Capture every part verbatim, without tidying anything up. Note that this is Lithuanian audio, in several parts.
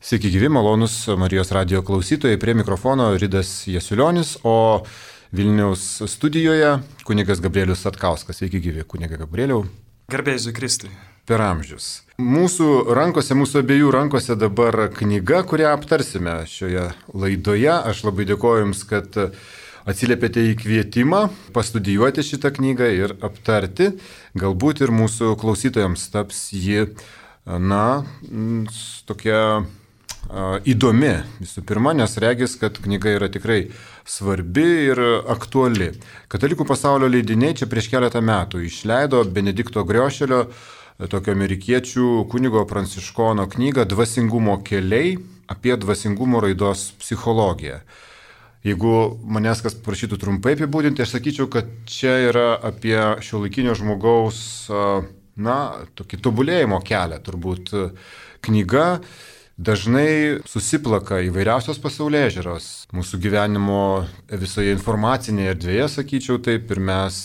Sveiki gyvi, malonus Marijos radijo klausytojai, prie mikrofono Ridas Jasiulionis, o Vilniaus studijoje kunigas Gabrielius Satkauskas. Sveiki gyvi, kuniga Gabrieliau. Garbėjai Jėzui Kristui. Per amžius. Mūsų rankose, mūsų abiejų rankose dabar knyga, kurią aptarsime šioje laidoje. Aš labai dėkoju Jums, kad atsiliepėte į kvietimą pastudijuoti šitą knygą ir aptarti. Galbūt ir mūsų klausytojams taps ji, na, tokia įdomi visų pirma, nes regis, kad knyga yra tikrai svarbi ir aktuali. Katalikų pasaulio leidiniai čia prieš keletą metų išleido Benedikto Griošelio, tokio amerikiečių kunigo pranciškono knygą Dvasingumo keliai apie dvasingumo raidos psichologiją. Jeigu manęs kas prašytų trumpai apibūdinti, aš sakyčiau, kad čia yra apie šiuolaikinio žmogaus, na, tokį tobulėjimo kelią, turbūt knyga. Dažnai susiplaka įvairiausios pasaulėžiūros mūsų gyvenimo visoje informacinėje erdvėje, sakyčiau taip, ir mes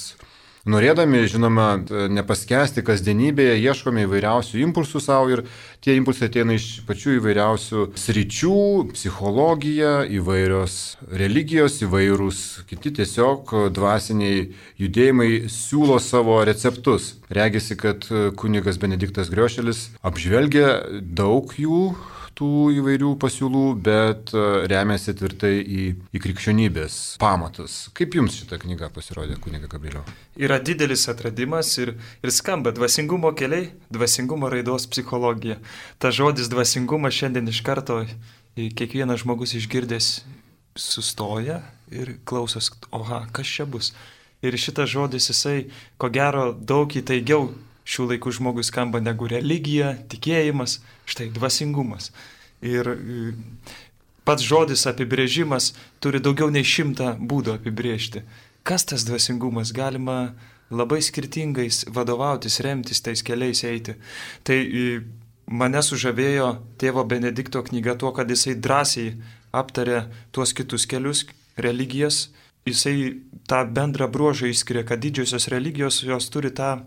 norėdami, žinoma, nepaskesti kasdienybėje, ieškome įvairiausių impulsų savo ir tie impulsai ateina iš pačių įvairiausių sričių, psichologija, įvairios religijos, įvairūs kiti tiesiog dvasiniai judėjimai siūlo savo receptus. Regisi, kad kunigas Benediktas Griošelis apžvelgia daug jų, tų įvairių pasiūlų, bet remiasi tvirtai į, į krikščionybės pamatus. Kaip Jums šita knyga pasirodė, kuniga Gabrieliau? Yra didelis atradimas ir, ir skamba dvasingumo keliai, dvasingumo raidos psichologija. Ta žodis dvasingumas šiandien iš karto kiekvienas žmogus išgirdęs sustoja ir klausos, oha, kas čia bus. Ir šitas žodis jisai, ko gero, daug įtaigiau šių laikų žmogui skamba negu religija, tikėjimas, štai dvasingumas. Ir pats žodis apibrėžimas turi daugiau nei šimtą būdų apibrėžti. Kas tas dvasingumas? Galima labai skirtingais vadovautis, remtis tais keliais eiti. Tai mane sužavėjo tėvo Benedikto knyga tuo, kad jisai drąsiai aptarė tuos kitus kelius, religijas. Jisai tą bendrą bruožą išskiria, kad didžiosios religijos jos turi tą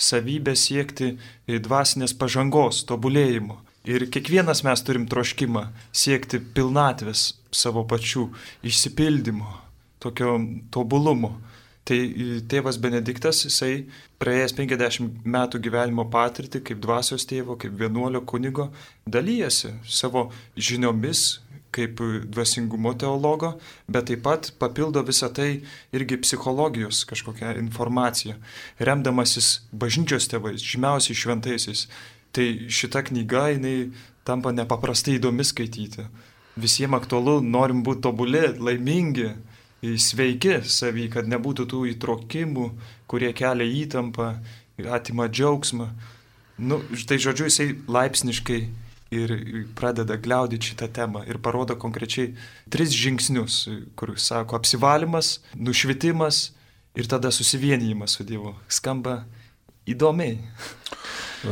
savybę siekti dvasinės pažangos, tobulėjimo. Ir kiekvienas mes turim troškimą siekti pilnatvės savo pačių, išsipildymo, tokio tobulumo. Tai tėvas Benediktas, jisai praėjęs penkiasdešimt metų gyvenimo patirtį kaip dvasios tėvo, kaip vienuolio kunigo, dalyjasi savo žiniomis, kaip dvasingumo teologo, bet taip pat papildo visą tai irgi psichologijos kažkokią informaciją, remdamasis bažnyčios tėvais, žymiausiais šventaisiais. Tai šita knyga, jinai tampa nepaprastai įdomi skaityti. Visiems aktualu, norim būti tobuli, laimingi, sveiki savy, kad nebūtų tų įtrokimų, kurie kelia įtampą, atima džiaugsmą. Nu, tai žodžiu, jisai laipsniškai ir pradeda gliaudyti šitą temą ir parodo konkrečiai tris žingsnius, kur sako apsivalymas, nušvitimas ir tada susivienijimas su Dievu. Skamba įdomiai.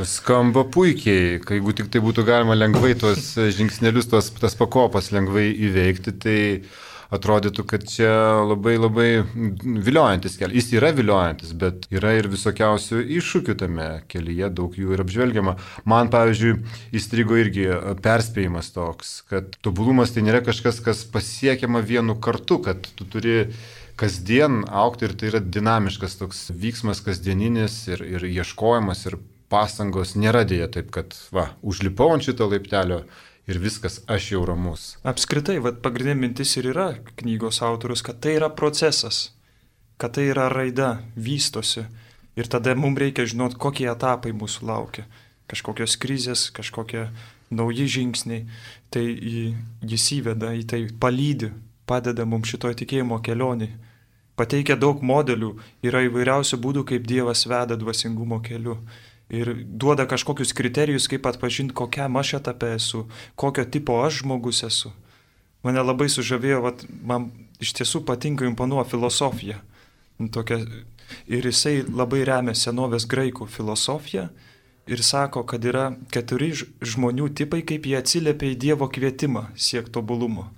Skamba puikiai, kai jeigu tik tai būtų galima lengvai tuos žingsnelius, tuos, tas pakopas lengvai įveikti, tai atrodytų, kad čia labai labai viliojantis kelias. Jis yra viliojantis, bet yra ir visokiausių iššūkių tame kelyje, daug jų ir apžvelgiama. Man, pavyzdžiui, įstrigo irgi perspėjimas toks, kad tobulumas tai nėra kažkas, kas pasiekiama vienu kartu, kad tu turi kasdien augti ir tai yra dinamiškas toks vyksmas kasdieninis ir, ir ieškojimas ir pastangos. Nėra dėja taip, kad va, užlipau ant šito laiptelio ir viskas, aš jau ramus. Apskritai, vat, pagrindinė mintis ir yra knygos autorius, kad tai yra procesas, kad tai yra raida, vystosi. Ir tada mums reikia žinoti, kokie etapai mūsų laukia. Kažkokios krizės, kažkokie nauji žingsniai. Tai jis įveda į tai, palydi, padeda mums šitoje tikėjimo kelionėje. Pateikia daug modelių, yra įvairiausių būdų, kaip Dievas veda dvasingumo keliu. Ir duoda kažkokius kriterijus, kaip atpažinti, kokiam aš etape esu, kokio tipo aš žmogus esu. Mane labai sužavėjo, vat, man iš tiesų patinka imponuoja filosofija. Tokia, ir jisai labai remia senovės graikų filosofiją ir sako, kad yra keturi žmonių tipai, kaip jie atsiliepia į Dievo kvietimą siekti tobulumo.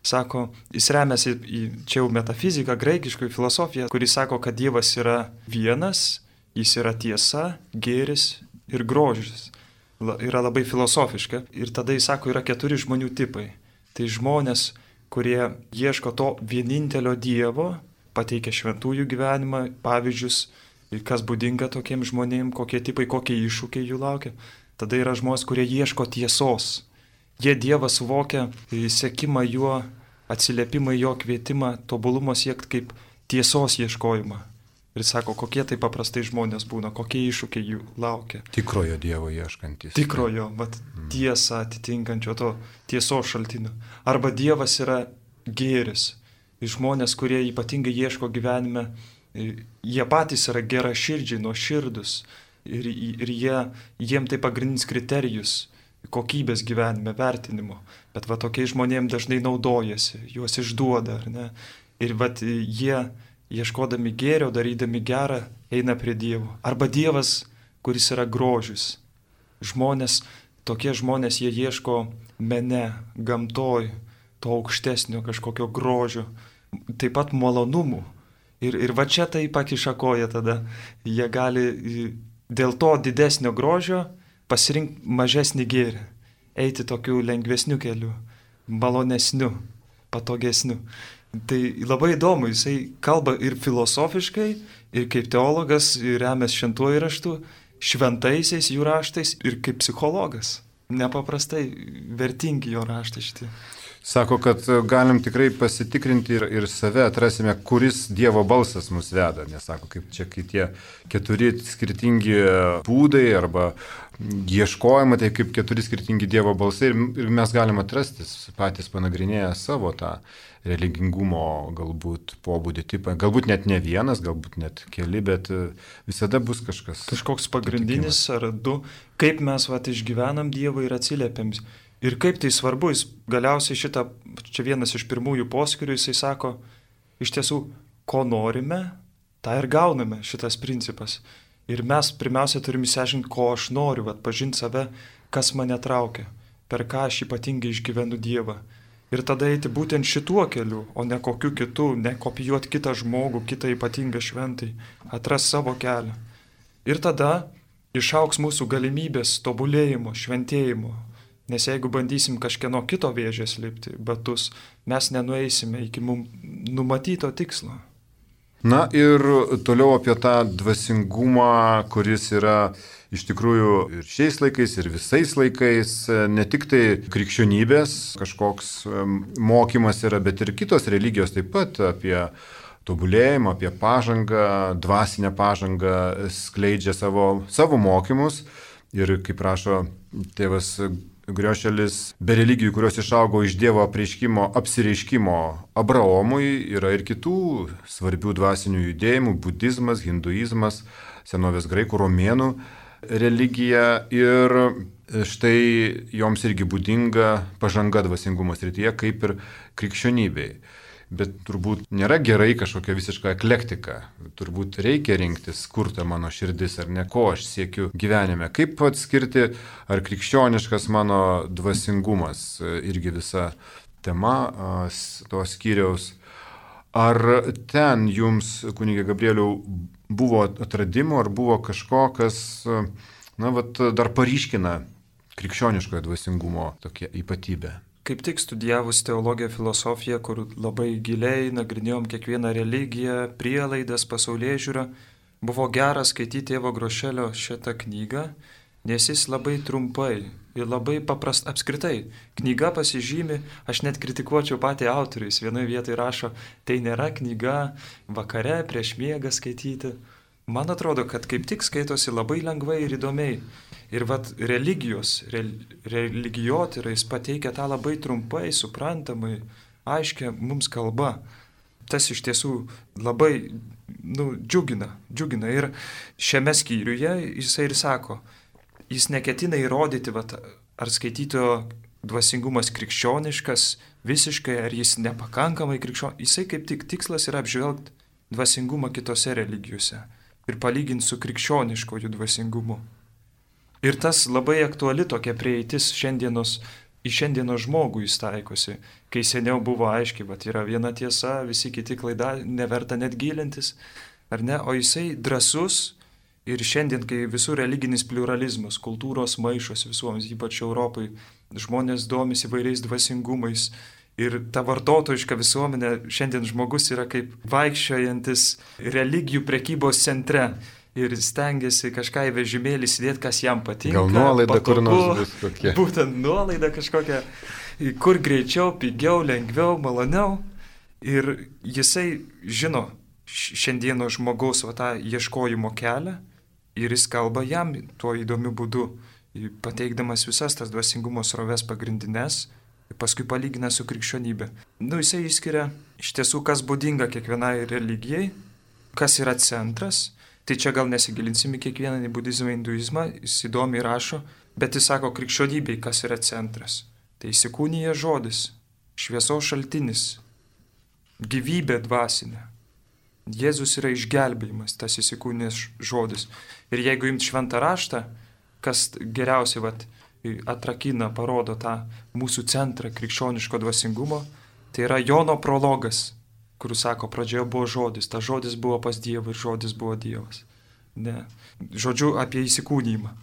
Sako, jis remiasi į čia jau metafiziką, graikišką filosofiją, kuris sako, kad Dievas yra vienas, jis yra tiesa, gėris ir grožis. yra labai filosofiška. Ir tada jis sako, yra keturi žmonių tipai. Tai žmonės, kurie ieško to vienintelio Dievo, pateikia šventųjų gyvenimą, pavyzdžius, kas būdinga tokiems žmonėms, kokie tipai, kokie iššūkiai jų laukia. Tada yra žmonės, kurie ieško tiesos. Jie Dievą suvokia, sekimą juo, atsiliepimą jo kvietimą, tobulumo siekti kaip tiesos ieškojimą. Ir sako, kokie tai paprastai žmonės būna, kokie iššūkiai jų laukia. Tikrojo Dievo ieškantis. Tikrojo, vat mm. tiesą atitinkančio to tiesos šaltinio. Arba Dievas yra gėris. Žmonės, kurie ypatingai ieško gyvenime, jie patys yra gera širdžiai, nuoširdus. Ir, ir jie, jiem tai pagrindinis kriterijus kokybės gyvenime, vertinimo. Bet va tokiais žmonėms dažnai naudojasi, juos išduoda, ar ne? Ir va jie, ieškodami gėrio, darydami gerą, eina prie Dievo. Arba Dievas, kuris yra grožis. Žmonės, tokie žmonės, jie ieško mene, gamtoj, to aukštesnio kažkokio grožio, taip pat malonumų. Ir, ir va čia tai pakiša koją tada. Jie gali dėl to didesnio grožio pasirinkti mažesnį gėrį, eiti tokiu lengvesniu keliu, malonesniu, patogesniu. Tai labai įdomu, jisai kalba ir filosofiškai, ir kaip teologas, ir remės šventuoju raštu, šventaisiais jų raštais, ir kaip psichologas. Nepaprastai vertingi jo raštai šitie. Sako, kad galim tikrai pasitikrinti ir, ir save atrasime, kuris Dievo balsas mus veda. Nes sako, kaip čia, kai tie keturi skirtingi būdai arba ieškojimai, tai kaip keturi skirtingi Dievo balsai ir, ir mes galim atrasti patys panagrinėję savo tą religingumo galbūt pobūdį tipą. Galbūt net ne vienas, galbūt net keli, bet visada bus kažkas. Kažkoks pagrindinis ar du, kaip mes vat išgyvenam Dievą ir atsiliepiam. Ir kaip tai svarbu, jis galiausiai šitą, čia vienas iš pirmųjų poskirių, jisai sako, iš tiesų, ko norime, tą ir gauname, šitas principas. Ir mes pirmiausia turime išsiaiškinti, ko aš noriu, atpažinti save, kas mane traukia, per ką aš ypatingai išgyvenu Dievą. Ir tada eiti būtent šituo keliu, o ne kokiu kitu, ne kopijuoti kitą žmogų, kitą ypatingą šventai, atras savo kelią. Ir tada išauks mūsų galimybės tobulėjimo, šventėjimo. Nes jeigu bandysim kažkieno kito vėžės lipti, batus, mes nenueisime iki mums numatyto tikslo. Na ir toliau apie tą dvasingumą, kuris yra iš tikrųjų ir šiais laikais, ir visais laikais, ne tik tai krikščionybės kažkoks mokymas yra, bet ir kitos religijos taip pat apie tobulėjimą, apie pažangą, dvasinę pažangą skleidžia savo, savo mokymus. Ir kaip rašo tėvas Griošelis, be religijų, kurios išaugo iš Dievo apreiškimo, apsireiškimo Abraomui, yra ir kitų svarbių dvasinių judėjimų - budizmas, hinduizmas, senovės graikų, romėnų religija. Ir štai joms irgi būdinga pažanga dvasingumo srityje, kaip ir krikščionybei. Bet turbūt nėra gerai kažkokia visiška eklektika. Turbūt reikia rinktis, kur ta mano širdis ar ne, ko aš siekiu gyvenime. Kaip atskirti, ar krikščioniškas mano dvasingumas, irgi visa tema to skyriaus. Ar ten jums, kunige Gabrieliau, buvo atradimų, ar buvo kažko, kas, na, vat, dar paryškina krikščioniškojo dvasingumo tokia ypatybė? Kaip tik studijavus teologiją, filosofiją, kur labai giliai nagrinėjom kiekvieną religiją, prielaidas, pasaulėžiūrą, buvo gera skaityti tėvo Grošelio šitą knygą, nes jis labai trumpai ir labai paprast apskritai. Knyga pasižymi, aš net kritikuočiau patį autorių, jis vienoje vietoje rašo, tai nėra knyga vakare prieš miegą skaityti. Man atrodo, kad kaip tik skaitosi labai lengvai ir įdomiai. Ir vat religijos, re, religijotyra, jis pateikia tą labai trumpai, suprantamai, aiškia mums kalba. Tas iš tiesų labai nu, džiugina, džiugina. Ir šiame skyriuje jisai ir sako, jis neketina įrodyti, vat, ar skaitytojo dvasingumas krikščioniškas visiškai, ar jis nepakankamai krikščioniškas. Jisai kaip tik tikslas yra apžvelgti dvasingumą kitose religijose ir palyginti su krikščioniškoju dvasingumu. Ir tas labai aktuali tokia prieitis šiandienos, į šiandienos žmogų jis taikosi, kai seniau buvo aiškiai, bet yra viena tiesa, visi kiti klaida, neverta net gilintis, ar ne, o jisai drąsus Ir šiandien, kai visur religinis pluralizmas, kultūros maišos visuomis, ypač Europai, žmonės domisi įvairiais dvasingumais ir ta vartotojiška visuomenė, šiandien žmogus yra kaip vaikščiojantis religijų prekybos centre ir stengiasi kažką į vežimėlį sėdėti, kas jam patinka. Gal nuolaida patogu, kur nors bus kokia. Būtent nuolaida kažkokia, kur greičiau, pigiau, lengviau, maloniau. Ir jisai žino šiandieno žmogaus va, tą ieškojimo kelią ir jis kalba jam tuo įdomiu būdu, pateikdamas visas tas dvasingumo sroves pagrindinės, paskui palygina su krikščionybė. Nu, jisai išskiria iš tiesų, kas būdinga kiekvienai religijai, kas yra centras. Tai čia gal nesigilinsim į kiekvieną į budizmą, hinduizmą, jis įdomiai rašo, bet jis sako krikščionybei, kas yra centras. Tai įsikūnija žodis, šviesos šaltinis, gyvybė dvasinė. Jėzus yra išgelbėjimas, tas įsikūnijęs žodis. Ir jeigu imt šventą raštą, kas geriausiai vat, atrakina, parodo tą mūsų centrą krikščioniško dvasingumo, tai yra Jono prologas, kur sako, pradžioje buvo žodis, tas žodis buvo pas Dievą ir žodis buvo Dievas. Ne. Žodžiu, apie įsikūnijimą.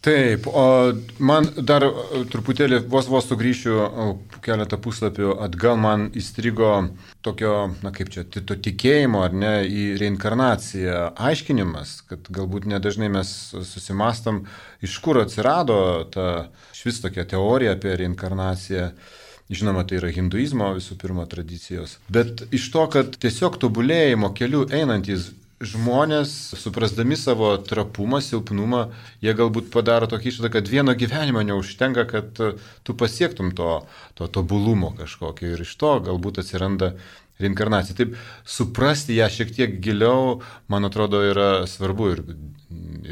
Taip, o man dar truputėlį vos vos sugrįšiu keletą puslapių atgal, man įstrigo tokio, na kaip čia, to tikėjimo ar ne į reinkarnaciją aiškinimas, kad galbūt nedažnai mes susimastam, iš kur atsirado ta švis tokia teorija apie reinkarnaciją. Žinoma, tai yra hinduizmo visų pirma tradicijos, bet iš to, kad tiesiog tobulėjimo keliu einantys žmonės, suprasdami savo trapumą, silpnumą, jie galbūt padaro tokį išvadą, kad vieno gyvenimo neužtenka, kad tu pasiektum to, to tobulumo kažkokio ir iš to galbūt atsiranda reinkarnacija. Taip, suprasti ją šiek tiek giliau, man atrodo, yra svarbu ir,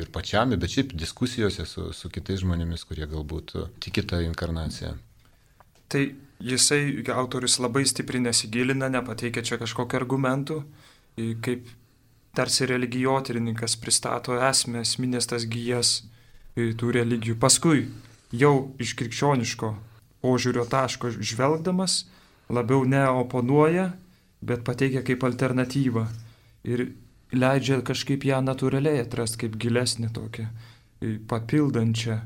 ir pačiam, bet šiaip diskusijose su, su kitais žmonėmis, kurie galbūt tiki tą reinkarnaciją. Tai jisai, autorius, labai stipriai nesigilina, nepateikia čia kažkokių argumentų, kaip tarsi religijotyrininkas pristato esmę, esminės tas gijas tų religijų. Paskui jau iš krikščioniško požiūrio taško žvelgdamas labiau neoponuoja, bet pateikia kaip alternatyvą ir leidžia kažkaip ją natūraliai atrasti kaip gilesnį tokią, papildančią,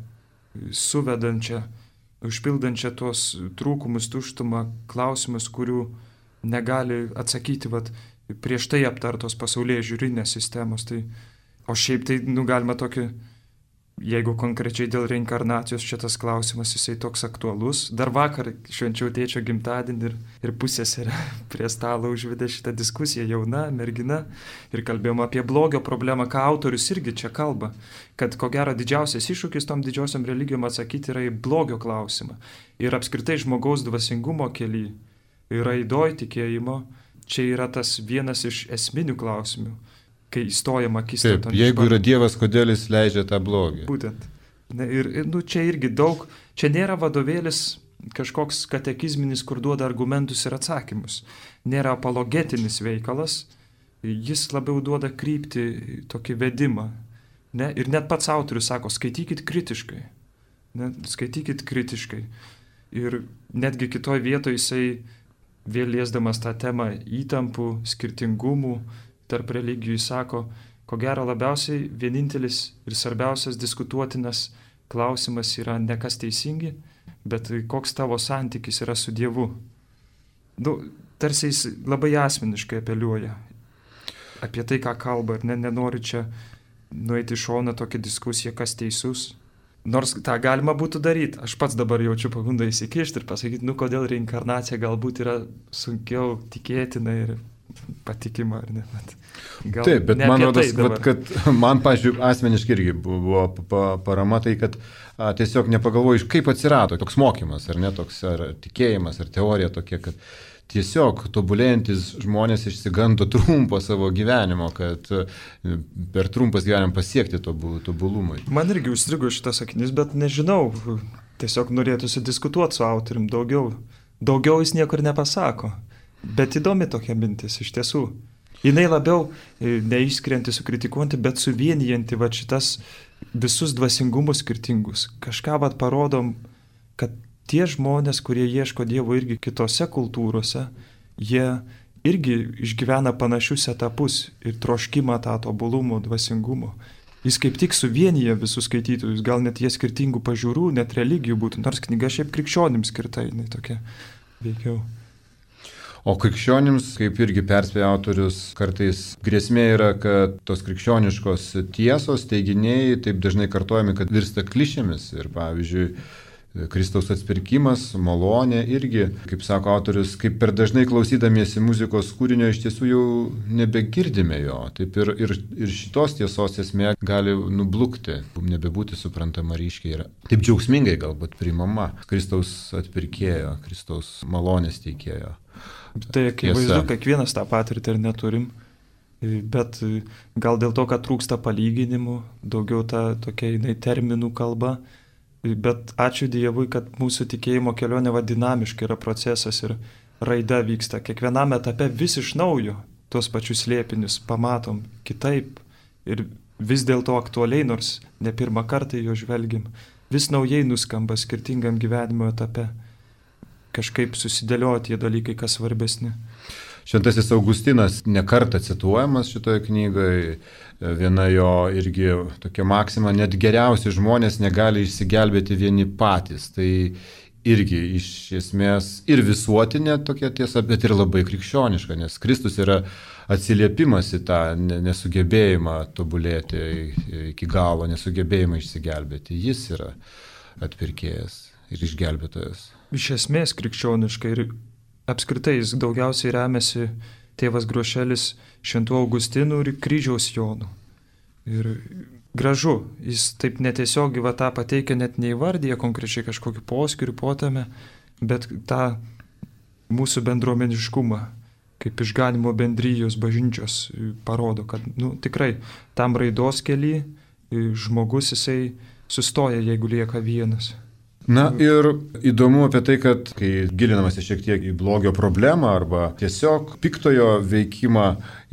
suvedančią, užpildančią tos trūkumus, tuštumą, klausimus, kurių negali atsakyti vat, prieš tai aptartos pasaulyje žiūrinės sistemos. Tai, o šiaip tai nu, galima tokį, jeigu konkrečiai dėl reinkarnacijos šitas klausimas, jisai toks aktualus. Dar vakar švenčiau tėčio gimtadienį ir, ir pusseserė prie stalo užvedė šitą diskusiją, jauna mergina, ir kalbėjom apie blogio problemą, ką autorius irgi čia kalba, kad ko gero didžiausias iššūkis tom didžiosiam religijom atsakyti yra į blogio klausimą. Ir apskritai žmogaus dvasingumo kely, raidoj tikėjimo, čia yra tas vienas iš esminių klausimų, kai įstojama akistatą. Taip, jeigu yra Dievas, kodėl jis leidžia tą blogį? Būtent. Ne, ir ir nu, čia irgi daug, čia nėra vadovėlis kažkoks katekizminis, kur duoda argumentus ir atsakymus. Nėra apologetinis veikalas, jis labiau duoda kryptį, tokį vedimą. Ne? Ir net pats autorius sako, skaitykit kritiškai. Ne? Skaitykit kritiškai. Ir netgi kitoj vietoje jisai vėl liesdamas tą temą įtampų, skirtingumų tarp religijų, sako, ko gero labiausiai vienintelis ir svarbiausias diskutuotinas klausimas yra ne kas teisingi, bet koks tavo santykis yra su Dievu. Nu, tarsi jis labai asmeniškai apeliuoja apie tai, ką kalba, ir ne, nenori čia nueiti į šoną tokią diskusiją, kas teisus. Nors tą galima būtų daryti. Aš pats dabar jaučiu pagundą įsikišti ir pasakyti, nu kodėl reinkarnacija galbūt yra sunkiau tikėtina ir patikima, ar ne? Gal taip, bet ne man rodos, tai kad man, pažiūrėjau, asmeniškai irgi buvo parama tai, kad a, tiesiog nepagalvoju, kaip atsirado toks mokymas, ar ne, toks ar tikėjimas, ar teorija tokia, kad tiesiog tobulėjantis žmonės išsigando trumpo savo gyvenimo, kad per trumpas gyvenimą pasiekti tobulumui. Man irgi užstrigo šitas sakinys, bet nežinau, tiesiog norėtųsi diskutuoti su autorium daugiau. Daugiau jis niekur nepasako, bet įdomi tokia mintis iš tiesų. Jinai labiau neišskirianti, sukritikuojanti, bet suvienijanti va šitas visus dvasingumus skirtingus. Kažką va parodom, kad tie žmonės, kurie ieško Dievo irgi kitose kultūrose, jie irgi išgyvena panašius etapus ir troškimą tą tobulumo, dvasingumo. Jis kaip tik suvienyje visus skaitytojus, gal net jie skirtingų pažiūrų, net religijų būtų, nors knyga šiaip krikščionims skirta, jinai tokia veikiau. O krikščionims, kaip irgi perspėja autorius, kartais grėsmė yra, kad tos krikščioniškos tiesos, teiginiai taip dažnai kartojami, kad virsta klišėmis. Ir pavyzdžiui, Kristaus atpirkimas, malonė irgi, kaip sako autorius, kaip per dažnai klausydamiesi muzikos kūrinio iš tiesų jau nebegirdime jo. Taip ir, ir, ir šitos tiesos esmė gali nublukti, nebebūti suprantama ryškiai ir taip džiaugsmingai galbūt priimama Kristaus atpirkėjo, Kristaus malonės teikėjo. Tai akivaizdu, kiekvienas tą patirtį ir neturim, bet gal dėl to, kad trūksta palyginimų, daugiau ta tokia jinai terminų kalba, bet ačiū Dievui, kad mūsų tikėjimo kelionė va dinamiškai yra procesas ir raida vyksta. Kiekvienam etape vis iš naujo tuos pačius slėpinius pamatom kitaip ir vis dėlto aktualiai, nors ne pirmą kartą jo žvelgiam, vis naujai nuskamba skirtingam gyvenimo etape. Kažkaip susidėlioja tie dalykai, kas svarbesni. Šventasis Augustinas nekartą cituojamas šitoje knygoje, viena jo irgi tokia maksima, net geriausi žmonės negali išsigelbėti vieni patys. Tai irgi iš esmės ir visuotinė tokia tiesa, bet ir labai krikščioniška, nes Kristus yra atsiliepimas į tą nesugebėjimą tobulėti iki galo, nesugebėjimą išsigelbėti. Jis yra atpirkėjas ir išgelbėtojas. Iš esmės krikščioniškai ir apskritai jis daugiausiai remiasi tėvas Grošelis Šventų Augustinų ir kryžiaus Jonų. Ir gražu, jis taip netiesiogiai va tą pateikia, net neįvardyja konkrečiai kažkokį poskirių potame, bet tą mūsų bendruomeniškumą, kaip išganimo bendrijos bažnyčios parodo, kad nu, tikrai tam raidos kely žmogus jisai sustoja, jeigu lieka vienas. Na ir įdomu apie tai, kad kai gilinamasi šiek tiek į blogio problemą arba tiesiog piktojo veikimą,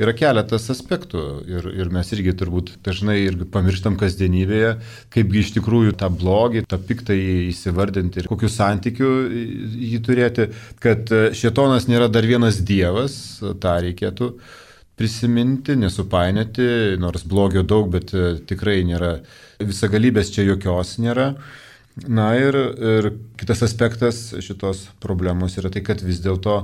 yra keletas aspektų ir, ir mes irgi turbūt dažnai irgi pamirštam kasdienybėje, kaipgi iš tikrųjų tą blogį, tą piktąjį įsivardinti ir kokiu santykiu jį turėti, kad šėtonas nėra dar vienas dievas, tą reikėtų prisiminti, nesupainioti, nors blogio daug, bet tikrai nėra, visagalybės čia jokios nėra. Na ir, ir kitas aspektas šitos problemos yra tai, kad vis dėlto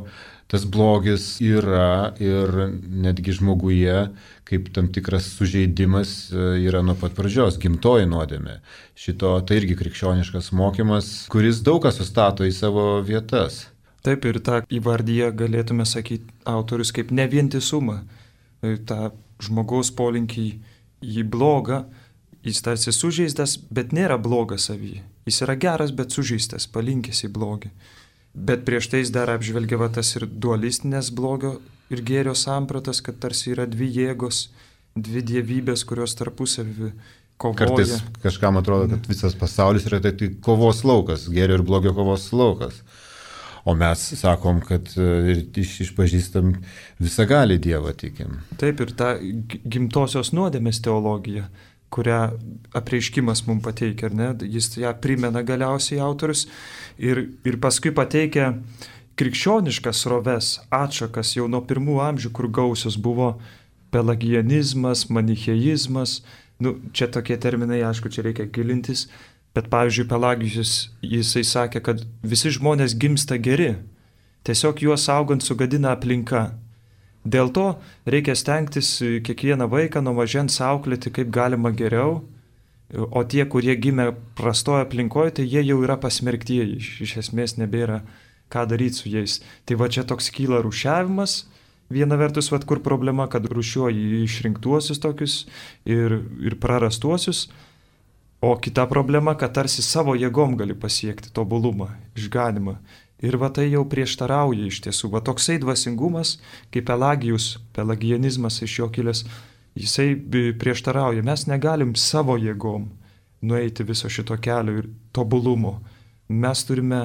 tas blogis yra ir netgi žmoguje, kaip tam tikras sužeidimas yra nuo pat pradžios, gimtoji nuodėmė. Šito tai irgi krikščioniškas mokymas, kuris daug ką sustato į savo vietas. Taip ir tą įvardyje galėtume sakyti autorius kaip nevientisumą. Ta žmogaus polinkį į blogą, jis tarsi sužeistas, bet nėra blogas savyje. Jis yra geras, bet sužeistas, palinkęs į blogį. Bet prieš tai jis dar apžvelgia va tas ir dualistinės blogio ir gėrio sampratas, kad tarsi yra dvi jėgos, dvi dievybės, kurios tarpusavį kovoja. Kartais kažkam atrodo, kad visas pasaulis yra tai, tai kovos laukas, gėrio ir blogio kovos laukas. O mes sakom, kad iš, išpažįstam visagalį Dievą tikim. Taip ir ta gimtosios nuodėmės teologija, kurią apreiškimas mums pateikia, ar ne? Jis ją primena galiausiai autorius ir, ir paskui pateikia krikščioniškas sroves, atšakas jau nuo pirmų amžių, kur gausios buvo pelagianizmas, manicheizmas, nu, čia tokie terminai, aišku, čia reikia gilintis, bet pavyzdžiui, Pelagijus, jisai sakė, kad visi žmonės gimsta geri, tiesiog juos augant sugadina aplinka. Dėl to reikia stengtis kiekvieną vaiką nuo mažens auklėti kaip galima geriau, o tie, kurie gimė prastoje aplinkoje, tai jie jau yra pasmerktieji, iš, iš esmės nebėra ką daryti su jais. Tai va čia toks kyla rūšiavimas, viena vertus, va kur problema, kad rūšiuoji išrinktuosius tokius ir, ir prarastuosius, o kita problema, kad tarsi savo jėgom gali pasiekti tobulumą, išganimą. Ir va tai jau prieštarauja iš tiesų. Va toksai dvasingumas, kaip Pelagijus, pelagianizmas iš jo kilęs, jisai prieštarauja. Mes negalim savo jėgom nueiti viso šito kelio ir tobulumo. Mes turime,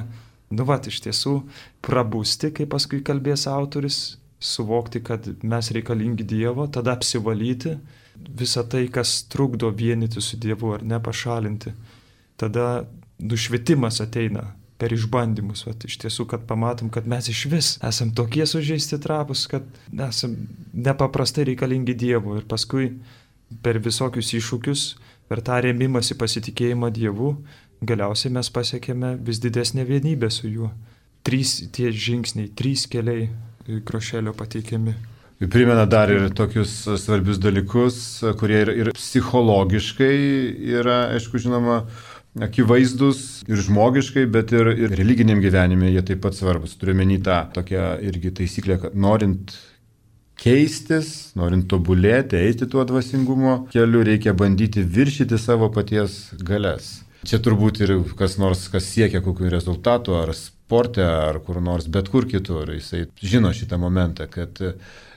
nu va, iš tiesų, prabusti, kaip paskui kalbės autorius, suvokti, kad mes reikalingi Dievo, tada apsivalyti visą tai, kas trukdo vienyti su Dievu ar ne, pašalinti. Tada nušvitimas ateina per išbandymus, vat, iš tiesų, kad pamatom, kad mes iš vis esam tokie sužeisti trapus, kad esam nepaprastai reikalingi Dievo ir paskui per visokius iššūkius, per tą rėmimąsi pasitikėjimą Dievu, galiausiai mes pasiekėme vis didesnę vienybę su juo. Trys tie žingsniai, trys keliai Krošelio pateikiami. Primena dar ir tokius svarbius dalykus, kurie ir, ir psichologiškai yra, aišku, žinoma, akivaizdus ir žmogiškai, bet ir, ir religiniam gyvenime jie taip pat svarbus. Turiu menį tą tokią irgi taisyklę, kad norint keistis, norint tobulėti, eiti tuo dvasingumo keliu, reikia bandyti viršyti savo paties galias. Čia turbūt ir kas nors, kas siekia kokių rezultatų, ar sporte, ar kur nors, bet kur kitur, jisai žino šitą momentą, kad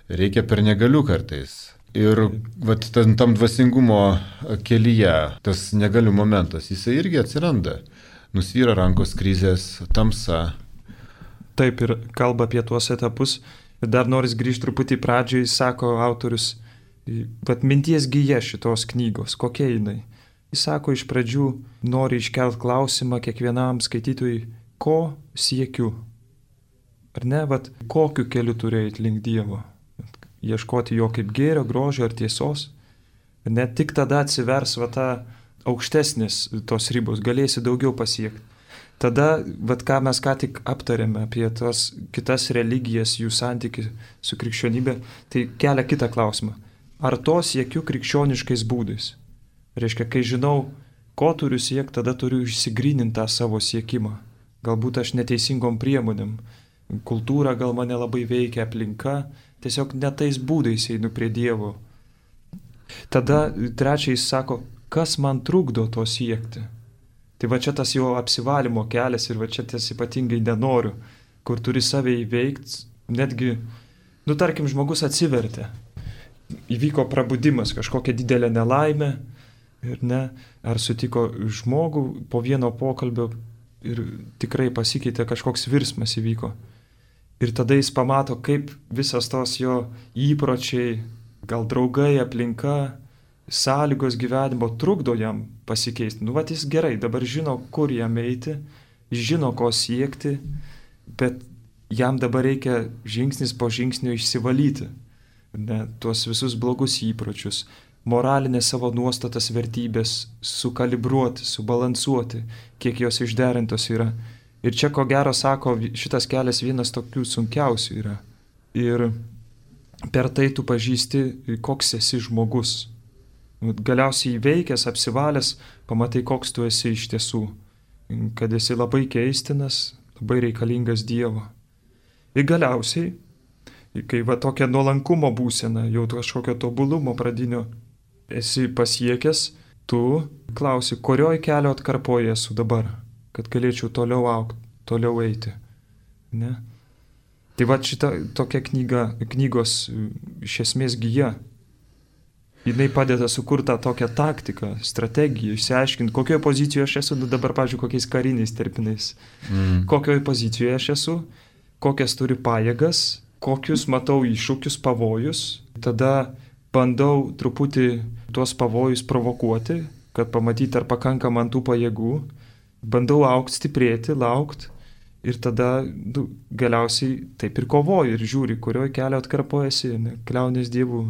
reikia per negaliu kartais. Ir vat, tam, tam dvasingumo kelyje tas negaliu momentas, jisai irgi atsiranda. Nusvyra rankos krizės, tamsa. Taip, ir kalba apie tuos etapus. Ir dar noris grįžti truputį pradžiai, sako autorius, vat minties gija šitos knygos, kokia jinai. Jis sako, iš pradžių nori iškelt klausimą kiekvienam skaitytojui, ko siekiu. Ar ne, vat kokiu keliu turi eiti link Dievo. Ieškoti jo kaip gėrio, grožio ar tiesos. Net tik tada atsivers va ta aukštesnės tos ribos, galėsi daugiau pasiekti. Tada, vat ką mes ką tik aptarėme apie tas kitas religijas, jų santykių su krikščionybė, tai kelia kitą klausimą. Ar to siekiu krikščioniškais būdais? Reiškia, kai žinau, ko turiu siekti, tada turiu išsigryninti tą savo siekimą. Galbūt aš neteisingom priemonėm. Kultūra gal mane labai veikia, aplinka. Tiesiog ne tais būdais einu prie Dievo. Tada trečiais sako, kas man trukdo to siekti. Tai va čia tas jo apsivalymo kelias ir va čia ties ypatingai nenoriu, kur turi save įveikti, netgi, nu tarkim, žmogus atsivertė. Įvyko prabudimas, kažkokia didelė nelaimė. Ir ne, ar sutiko žmogų po vieno pokalbio ir tikrai pasikeitė, kažkoks virsmas įvyko. Ir tada jis pamato, kaip visas tos jo įpročiai, gal draugai, aplinka, sąlygos gyvenimo trukdo jam pasikeisti. Nu, vat jis gerai, dabar žino, kur jam eiti, jis žino, ko siekti, bet jam dabar reikia žingsnis po žingsnio išsivalyti. Ne, tuos visus blogus įpročius. Moralinės savo nuostatas, vertybės sukalibruoti, subalansuoti, kiek jos išderintos yra. Ir čia, ko gero, sako, šitas kelias vienas tokių sunkiausių yra. Ir per tai tu pažįsti, koks esi žmogus. Galiausiai įveikęs, apsivalęs, pamatai, koks tu esi iš tiesų. Kad esi labai keistinas, labai reikalingas Dievo. Ir galiausiai, kai va tokia nuolankumo būsena, jau kažkokio tobulumo pradinio, esi pasiekęs, tu klausi, kurioj kelio atkarpoje esu dabar, kad galėčiau toliau augti, toliau eiti. Ne? Tai va šita tokia knyga, knygos iš esmės gija. Jinai padeda sukurti tokią taktiką, strategiją, išsiaiškinti, kokioje pozicijoje aš esu, nu dabar, pavyzdžiui, kokiais kariniais terminais. Mm. Kokioje pozicijoje aš esu, kokias turiu pajėgas, kokius matau iššūkius, pavojus. Tada bandau truputį tuos pavojus provokuoti, kad pamatyti, ar pakanka man tų pajėgų. Bandau augti, stiprėti, laukti ir tada nu, galiausiai taip ir kovoju ir žiūri, kurioje kelio atkarpojasi, kliaunės Dievų.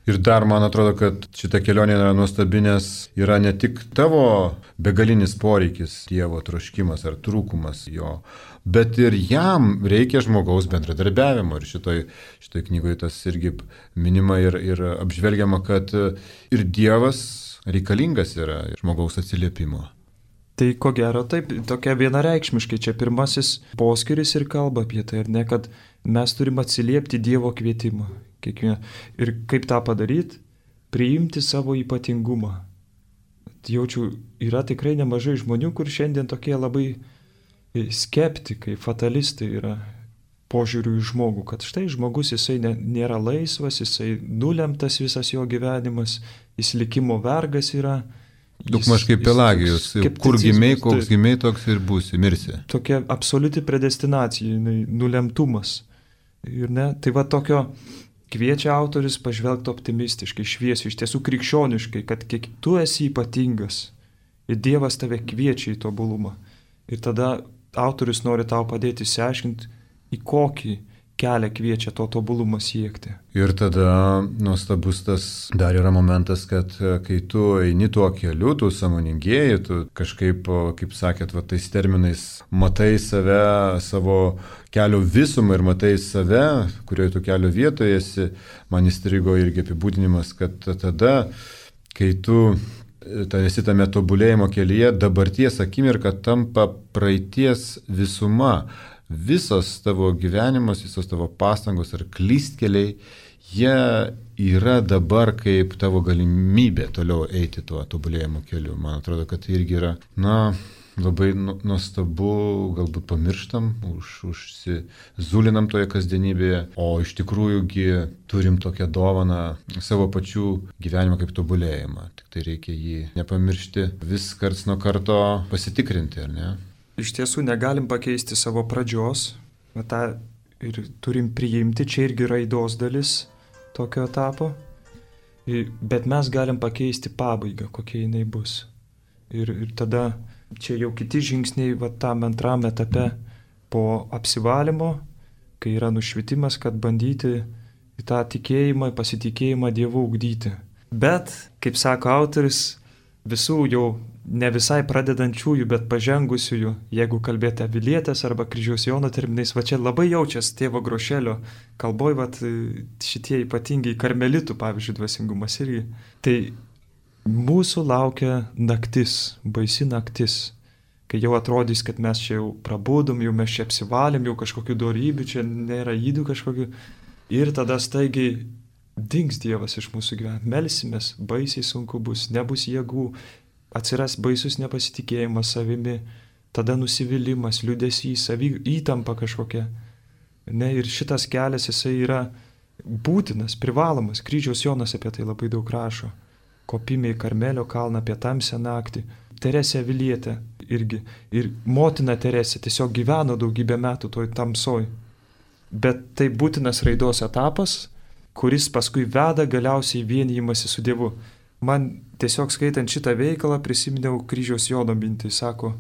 Ir dar man atrodo, kad šita kelionė yra nuostabi, nes yra ne tik tavo begalinis poreikis, Dievo troškimas ar trūkumas jo, bet ir jam reikia žmogaus bendradarbiavimo. Ir šitoj, šitoj knygoje tas irgi minima ir, ir apžvelgiama, kad ir Dievas reikalingas yra žmogaus atsiliepimo. Tai ko gero taip, tokia vienareikšmiškai čia pirmasis poskiris ir kalba apie tai, ar ne, kad mes turim atsiliepti Dievo kvietimą. Kiekvieną. Ir kaip tą padaryti? Priimti savo ypatingumą. Jaučiu, yra tikrai nemažai žmonių, kur šiandien tokie labai skeptikai, fatalistai yra požiūrių į žmogų, kad štai žmogus jisai ne, nėra laisvas, jisai nulemtas visas jo gyvenimas, jis likimo vergas yra. Daugmaž kaip Pelagijus, kur gimiai, koks gimiai, toks ir būsi, mirsi. Tokia absoliuti predestinacija, nulemtumas. Ir ne, tai va tokio kviečia autorius pažvelgti optimistiškai, šviesiai, iš tiesų krikščioniškai, kad kiek tu esi ypatingas ir Dievas tave kviečia į tobulumą. Ir tada autorius nori tau padėti išsiaiškinti, į kokį kelią kviečia to tobulumo siekti. Ir tada nuostabus tas dar yra momentas, kad kai tu eini tuo keliu, tu sąmoningėji, tu kažkaip, kaip sakėt, va, tais terminais matai save, savo kelio visumą ir matai save, kurioje tu kelio vietoje esi. Man įstrigo irgi apibūdinimas, kad tada, kai tu ta esi tame tobulėjimo kelyje, dabarties akimirka tampa praeities visuma. Visas tavo gyvenimas, visos tavo pastangos ar klystkeliai, jie yra dabar kaip tavo galimybė toliau eiti tuo tobulėjimo keliu. Man atrodo, kad tai irgi yra, na, labai nuostabu, galbūt pamirštam, už, užsizulinam toje kasdienybėje, o iš tikrųjųgi turim tokią dovaną savo pačių gyvenimą kaip tobulėjimą. Tik tai reikia jį nepamiršti, vis karts nuo karto pasitikrinti, ar ne? Iš tiesų negalim pakeisti savo pradžios, tą ir turim priimti, čia irgi raidos dalis tokio etapo, bet mes galim pakeisti pabaigą, kokia jinai bus. Ir, ir tada čia jau kiti žingsniai, va tam antram etape po apsivalymo, kai yra nušvitimas, kad bandyti į tą tikėjimą, pasitikėjimą Dievu ugdyti. Bet, kaip sako autorius, visų jau ne visai pradedančiųjų, bet pažengusiųjų, jeigu kalbėti avilietės arba kryžiaus Jono terminais, va čia labai jaučias tėvo Grošelio kalboj, va šitie ypatingai karmelitų, pavyzdžiui, dvasingumas irgi. Tai mūsų laukia naktis, baisi naktis, kai jau atrodys, kad mes čia jau prabudom, jau mes čia apsivalėm, jau kažkokių dorybių, čia nėra įdų kažkokių. Ir tada staigiai dings Dievas iš mūsų gyvenimo. Melsimės, baisiai sunku bus, nebus jėgų, atsiras baisus nepasitikėjimas savimi, tada nusivylimas, liūdesys, savy įtampa kažkokia. Ne, ir šitas kelias jisai yra būtinas, privalomas. Kryžiaus Jonas apie tai labai daug rašo. Kopime į Karmelio kalną apie tamsią naktį. Teresė Avilietė irgi. Ir motina Teresė tiesiog gyveno daugybę metų toj tamsoj. Bet tai būtinas raidos etapas, kuris paskui veda galiausiai vienijimąsi su Dievu. Man tiesiog skaitant šitą veikalą prisiminiau kryžiaus Jono mintį, sako,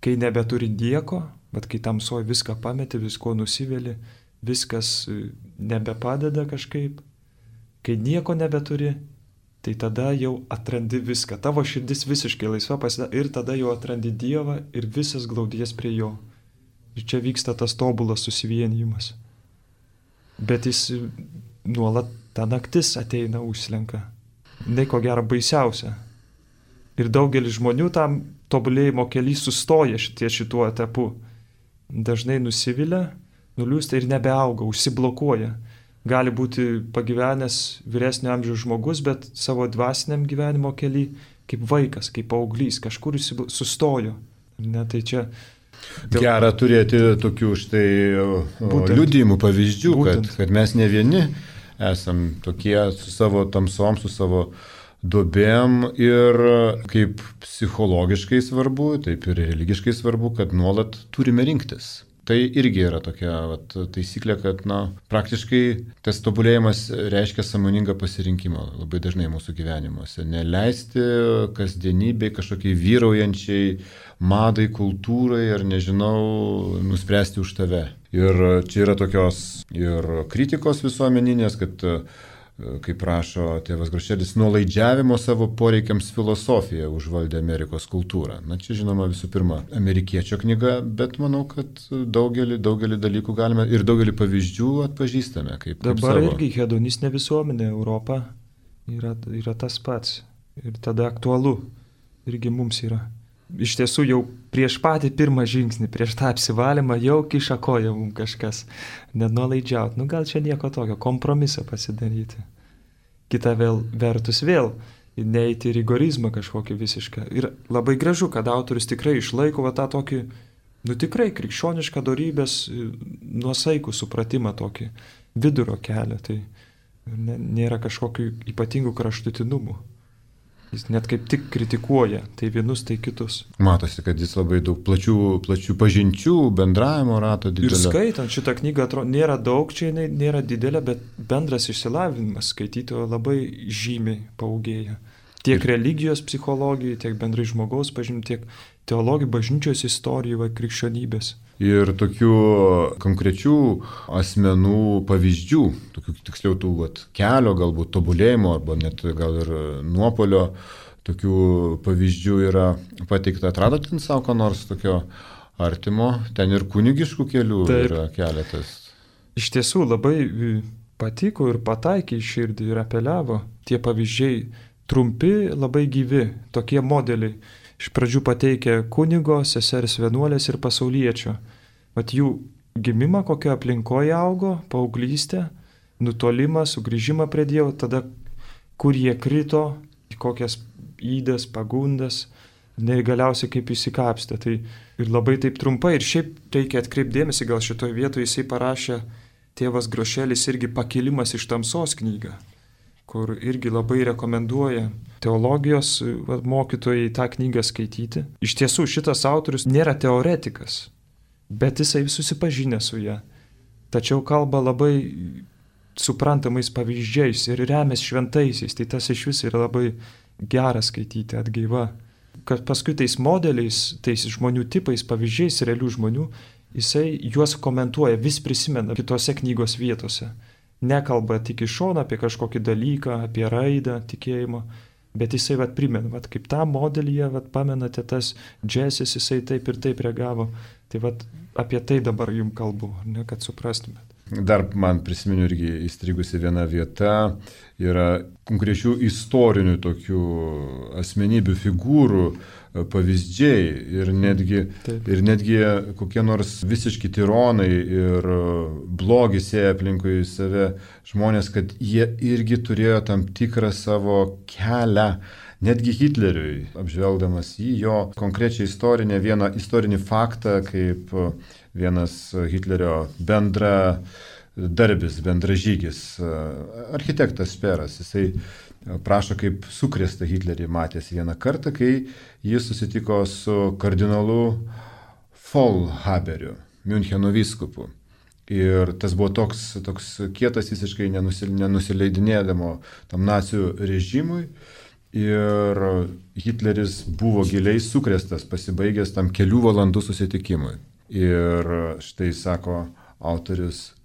kai nebeturi nieko, bet kai tamsoj viską pameti, visko nusiveli, viskas nebepadeda kažkaip, kai nieko nebeturi, tai tada jau atrandi viską, tavo širdis visiškai laisva pasidaro ir tada jau atrandi Dievą ir visas glaudies prie jo. Ir čia vyksta tas tobulas susivienijimas. Bet jis nuolat ta naktis ateina, užslenka. Ne ko gero baisiausia. Ir daugelis žmonių tam tobulėjimo kely sustoja šitie šituo etapu. Dažnai nusivilia, nuliūsta ir nebeauga, užsiblokuoja. Gali būti pagyvenęs vyresnio amžiaus žmogus, bet savo dvasiniam gyvenimo kely kaip vaikas, kaip paauglys, kažkur sustojo. Ne, tai čia... Dėl... Gera turėti tokių štai liudijimų pavyzdžių, kad, kad mes ne vieni esam tokie su savo tamsom, su savo duobėm ir kaip psichologiškai svarbu, taip ir religiškai svarbu, kad nuolat turime rinktis. Tai irgi yra tokia vat, taisyklė, kad na, praktiškai tas tobulėjimas reiškia sąmoningą pasirinkimą labai dažnai mūsų gyvenimuose. Neleisti kasdienybei kažkokiai vyraujančiai madai, kultūrai ar nežinau, nuspręsti už tave. Ir čia yra tokios ir kritikos visuomeninės, kad, kaip rašo tėvas Grošelis, nuolaidžiavimo savo poreikiams filosofija užvaldė Amerikos kultūrą. Na čia žinoma visų pirma amerikiečio knyga, bet manau, kad daugelį, daugelį dalykų galime ir daugelį pavyzdžių atpažįstame. Kaip, Dabar kaip irgi hedonistinė visuomenė Europa yra, yra tas pats. Ir tada aktualu irgi mums yra. Iš tiesų jau prieš patį pirmą žingsnį, prieš tą apsivalymą jau kiša koja mums kažkas. Nenuolaidžiaut. Nu gal čia nieko tokio, kompromisą pasidaryti. Kita vėl vertus vėl, neiti į rigorizmą kažkokį visišką. Ir labai gražu, kad autorius tikrai išlaiko va, tą tokį, nu tikrai krikščionišką dorybės nuosaikų supratimą tokį vidurio kelią. Tai nėra kažkokių ypatingų kraštutinumų. Jis net kaip tik kritikuoja tai vienus, tai kitus. Matosi, kad jis labai daug plačių, plačių pažinčių, bendravimo rato didelio. Ir skaitant šitą knygą, atrodo, nėra daug, čia jinai nėra didelė, bet bendras išsilavinimas skaitytojo labai žymiai paaugėja. Tiek ir religijos psichologijai, tiek bendrai žmogaus pažinimui, tiek, teologijų, bažnyčios istorijų, va, krikščionybės. Ir tokių konkrečių asmenų pavyzdžių, tokių tiksliau tų vat, kelio galbūt tobulėjimo arba net gal ir nuopolio, tokių pavyzdžių yra pateikta. Atradot ten savo ką nors tokio artimo? Ten ir kunigiškų kelių Taip. Yra keletas. Iš tiesų labai patiko ir pataikė į širdį ir apeliavo. Tie pavyzdžiai trumpi, labai gyvi, tokie modeliai. Iš pradžių pateikė kunigo, sesers vienuolės ir pasauliečio. Vat jų gimimą, kokio aplinkoje augo, paauglystę, nutolimą, sugrįžimą prie Dievo, tada kur jie krito, į kokias įdas, pagundas, ir galiausiai kaip įsikapstė. Tai ir labai taip trumpai, ir šiaip reikia atkreipdėmėsi, gal šitoje vietoje jisai parašė tėvas Grošelis irgi Pakilimas iš tamsos knygą, kur irgi labai rekomenduoja teologijos mokytojai tą knygą skaityti. Iš tiesų šitas autorius nėra teoretikas, bet jisai susipažinę su ją. Tačiau kalba labai suprantamais pavyzdžiais ir remės šventaisiais, tai tas iš vis yra labai gera skaityti, atgaiva. Kad paskui tais modeliais, tais žmonių tipais, pavyzdžiais realių žmonių, jisai juos komentuoja, vis prisimena kitose knygos vietose. Nekalba tik iš šono apie kažkokį dalyką, apie raidą tikėjimo, bet jisai vat primena, vat kaip tą modelyje, vat pamenate tas džesis, jisai taip ir taip reagavo. Tai vat apie tai dabar jums kalbu, ne, kad suprastumėt. Dar man prisimenu irgi įstrigusi viena vieta, yra konkrečių istorinių tokių asmenybių figūrų pavyzdžiai ir netgi, ir netgi kokie nors visiški tironai ir blogį sėja aplinkui save žmonės, kad jie irgi turėjo tam tikrą savo kelią. Netgi Hitleriui, apžvelgdamas į jo konkrečią istorinę, vieną istorinį faktą, kaip vienas Hitlerio bendra darbis, bendražygis, architektas Šperas, jisai prašo, kaip sukrėstą Hitlerį matęs vieną kartą, kai jis susitiko su kardinolu Faulhaberiu, Miuncheno vyskupu. Ir tas buvo toks, toks kietas visiškai nenusileidinėdamo tam nacių režimui. Ir Hitleris buvo giliai sukrėstas, pasibaigęs tam kelių valandų susitikimui. Ir štai sako autorius,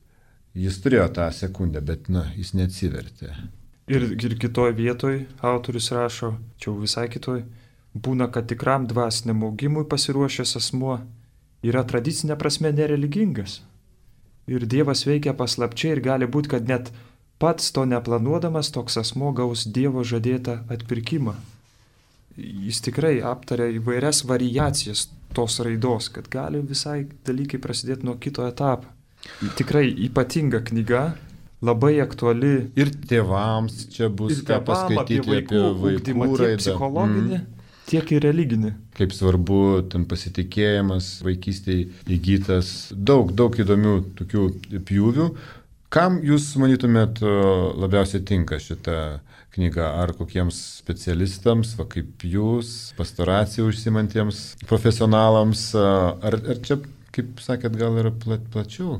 jis turėjo tą sekundę, bet na, jis neatsivertė. Ir, ir kitoj vietoj autorius rašo, čia visai kitoj, būna, kad tikram dvasiniam augimui pasiruošęs asmuo yra tradicinė prasme nereligingas. Ir Dievas veikia paslapčiai ir gali būti, kad net pats to neplanuodamas toks asmuo gaus Dievo žadėtą atpirkimą. Jis tikrai aptarė įvairias variacijas tos raidos, kad gali visai dalykai prasidėti nuo kito etapo. Tikrai ypatinga knyga, labai aktuali. Ir tėvams čia bus ką paskaityti apie vaikų, apie vaikų raidą. Tiek psichologinį, mm. tiek ir religinį. Kaip svarbu ten pasitikėjimas, vaikystėje įgytas, daug, daug įdomių tokių pjūvių. Kam jūs, manytumėt, labiausiai tinka šitą knygą? Ar kokiems specialistams, va kaip jūs, pastoracijų užsimantiems profesionalams, ar, ar čia, kaip sakėt, gal yra plat, plačiau?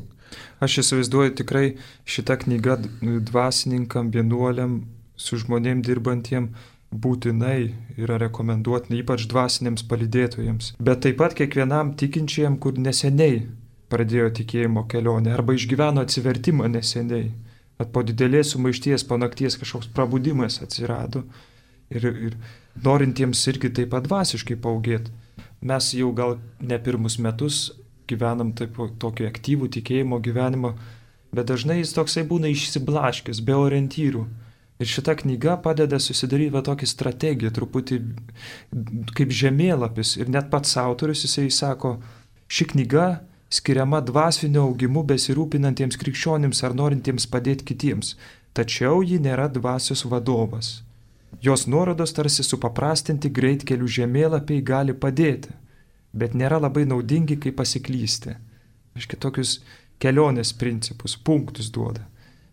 Aš įsivaizduoju, tikrai šita knyga dvasininkam, vienuoliam, su žmonėm dirbantiem būtinai yra rekomenduotina, ypač dvasiniams palydėtojams. Bet taip pat kiekvienam tikinčiam, kur neseniai pradėjo tikėjimo kelionę arba išgyveno atsivertimą neseniai. At po didelės sumaišties, po nakties kažkoks prabudimas atsirado ir, ir norintiems irgi taip pat dvasiškai paaugėti. Mes jau gal ne pirmus metus gyvenam taip, tokį aktyvų tikėjimo gyvenimą, bet dažnai jis toksai būna išsiblaškęs, be orientyrų. Ir šita knyga padeda susidaryti va tokį strategiją, truputį kaip žemėlapis. Ir net pats autorius, jisai sako, ši knyga skiriama dvasinio augimu besirūpinantiems krikščionims ar norintiems padėti kitiems, tačiau ji nėra dvasios vadovas. Jos nuorodos tarsi supaprastinti greitkelių žemėlapiai gali padėti, bet nėra labai naudingi, kai pasiklysti. Aiškiai, tokius kelionės principus, punktus duoda.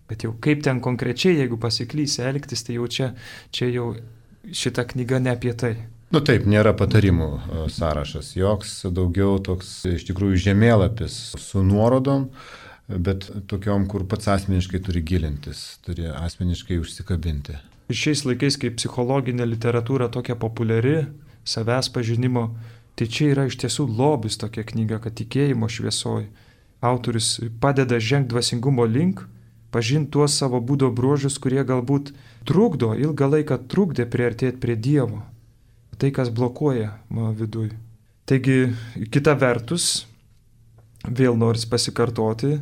Bet jau kaip ten konkrečiai, jeigu pasiklysi elgtis, tai jau čia, čia jau šita knyga ne apie tai. Nu taip, nėra patarimų sąrašas, joks daugiau toks iš tikrųjų žemėlapis su nuorodom, bet tokiom, kur pats asmeniškai turi gilintis, turi asmeniškai užsikabinti. Ir šiais laikais, kai psichologinė literatūra tokia populiari, savęs pažinimo, Tai čia yra iš tiesų lobis tokia knyga, kad tikėjimo šviesoj autorius padeda žengti dvasingumo link, pažinti tuos savo būdo bruožus, kurie galbūt trukdo, ilgą laiką trukdė priartėti prie Dievo. Tai, kas blokuoja mano viduj. Taigi, kita vertus, vėl noris pasikartoti,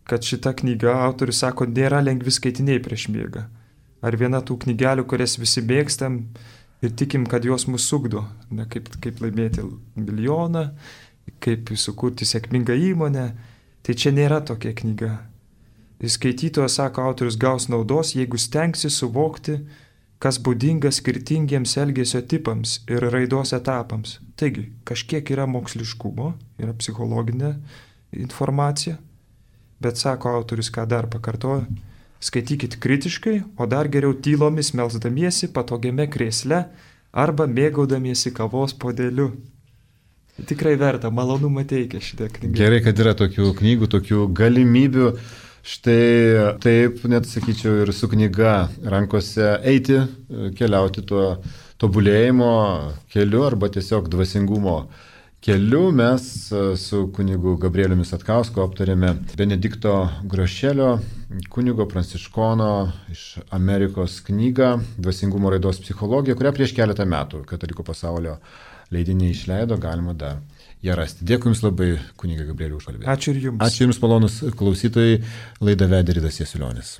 kad šita knyga, autorius sako, nėra lengvi skaitiniai prieš miegą. Ar viena tų knygelių, kurias visi mėgstam ir tikim, kad jos mus sugdo. Ne, kaip, kaip laimėti milijoną, kaip sukurti sėkmingą įmonę. Tai čia nėra tokia knyga. Skaitytojas, sako autorius, gaus naudos, jeigu stengsi suvokti, kas būdinga skirtingiems elgesio tipams ir raidos etapams. Taigi, kažkiek yra moksliškumo, yra psichologinė informacija, bet, sako autorius, ką dar pakartoja, skaitykit kritiškai, o dar geriau tylomis melsdamiesi patogiame krėsle arba mėgaudamiesi kavos puodeliu. Tikrai verta, malonumą teikia šitą knygą. Gerai, kad yra tokių knygų, tokių galimybių. Štai taip, net sakyčiau, ir su knyga rankose eiti, keliauti tuo tobulėjimo keliu arba tiesiog dvasingumo keliu. Mes su kunigu Gabrieliumi Satkausku aptarėme Benedikto Grošelio, kunigo pranciškono iš Amerikos knygą Dvasingumo raidos psichologija, kurią prieš keletą metų Katalikų pasaulio leidiniai išleido, galima dar ją rasti. Dėkui Jums labai, kuniga Gabrieliau, už kalbėjimą. Ačiū ir Jums. Ačiū Jums, malonus klausytojai. Laidą vedė Ridas Jasiulionis.